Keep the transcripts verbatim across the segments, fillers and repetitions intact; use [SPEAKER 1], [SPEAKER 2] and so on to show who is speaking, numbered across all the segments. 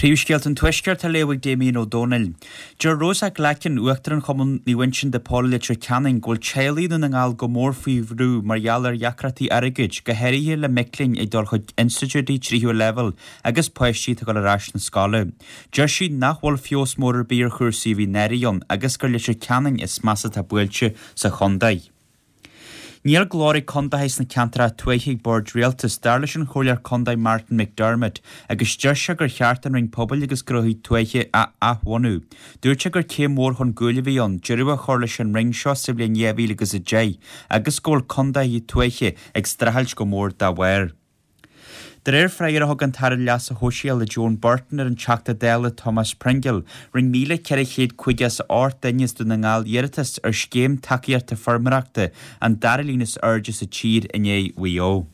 [SPEAKER 1] Príomhscéalta an Tuaiscirt á léamh ag Damien Ó Dónaill. Deir Rosa Glackin, Uachtarán Chumann Naomh Uinseann de Pól i Leitir Ceanainn, go bhfuil teaghlaigh i nDún na nGall go mór faoi bhrú mar gheall ar dheacrachtaí airgid, go háirithe le mic léinn ag dul chuig institiúidí tríú leibhéal agus páistí atá ag dul ar ais na scoile. Deir sí nach bhfuil feabhas mór ar bith ar chúrsaí a bhí anuraidh ann agus gur Leitir Ceanainn is measa atá buailte sa chontae. Níl glór ag condaetha sna ceantracha tuaithe ag bord rialtais, dar leis an Chomhairleoir Contae Martin McDermott, agus deir sé gur cheart an Roinn Pobail agus Gnóthaí Tuaithe a athbhunú. Dúirt sé gur céim mhór chun cúil a bhí ann deireadh a chur leis an roinn seo sa bhliain dhá mhíle agus a deich agus go bhfuil condaetha tuaithe ag streachailt go mór dá bharr. De réir freagra a thug an tAire Leasa Shóisialaigh Joan Burton ar an Teachta Dála Thomas Pringle, rinne míle ceithre chéad caoga is a hocht duine as Dún na nGall iarratas ar scéim tacaíochta feirmeoireachta, an dara líon is airde sa tír i ndiaidh Mhaigh Eo.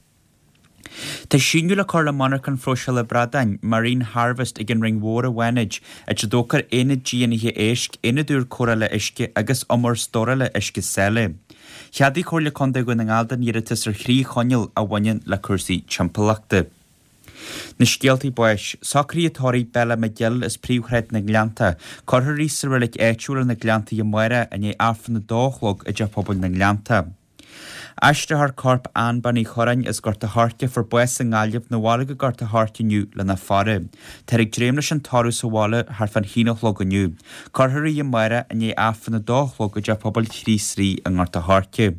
[SPEAKER 1] Tá síneadh le cur le monarchan phróiseála bradáin, Marine Harvest, ag an Rinn Mhór i bhFánaid, áit a dtógfar aonad dífhionnaithe éisc, aonad úr cóireála uisce agus umar stórála uisce sáile. Cheadaigh Comhairle Contae Dhún na nGall don iarratas ar thrí choinníoll a bhaineann le cúrsaí timpeallachta. Na scéaltaí báis, socruithe tórraimh Bella McGill as Príomhshráid na nGleannta. Cuirfear í sa reilig áitiúil ar na Gleanntaí amárach i ndiaidh Aifreann a dó a chlog i dTeach Pobail na nGleannta. Aistreofar corp Ann Bean Uí Chorráin as Gort a' Choirce a fuair bás i nGaillimh 'na bhaile go Gort a' Choirce inniu lena faire. Táthar ag dréim leis an tórramh sa bhaile thart fán haon a chlog inniu. Cuirfear í amárach i ndiaidh Aifreann a dó a chlog i dTeach Pobail Chríost Rí i nGort a' Choirce.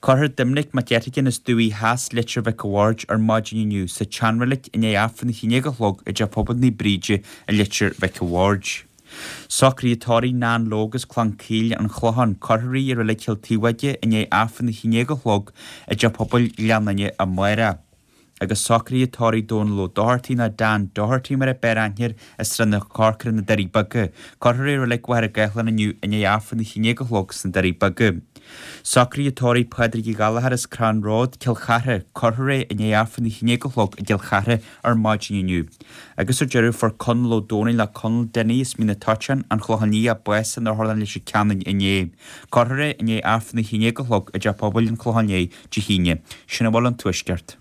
[SPEAKER 1] Cuirfear Doimnic Mac Eiteagáin as Dumhaigh Theas, Leitir Mhic a' Bhaird ar maidin inniu sa tseanreilig i ndiaidh Aifreann a haon déag a chlog i dTeach Pobail Naomh Bríde i Leitir Mhic a' Bhaird. Socruithe tórraimh Nan Logue as Clann Caoil, An Clochán, cuirfear í i Reilig Chill Taobhóige i ndiaidh Aifreann a haon déag a chlog i dTeach Pobail Ghleann Fhinne amárach. Agus socruithe tórraimh Dónal Ó Dochartaigh nó Dan Doherty mar a b'fhearr aithne air as Srath na Corcra na Doirí Beaga. Cuirfear é i Reilig Mhachaire Gathlán inniu i ndiaidh Aifreann a haon déag a chlog sna Doirí Beaga. Socruithe tórraimh Pádraig Uí Ghallchóir as Crann Road, Cill Chartha, cuirfear é i ndiaidh Aifreann a haon déag a chlog i gCill Chartha ar maidin inniu. Agus ar deireadh fuair Conall Ó Dónaill nó Conall Dinny as Mín na Toiteán, An Clochán Liath, bás in Otharlann Leitir Ceanainn inné. Cuirfear é i ndiaidh Aifreann a haon déag a chlog i dTeach Pobail an Chlocháin Léith Dé hAoine. Sin a bhfuil ón Tuaisceart.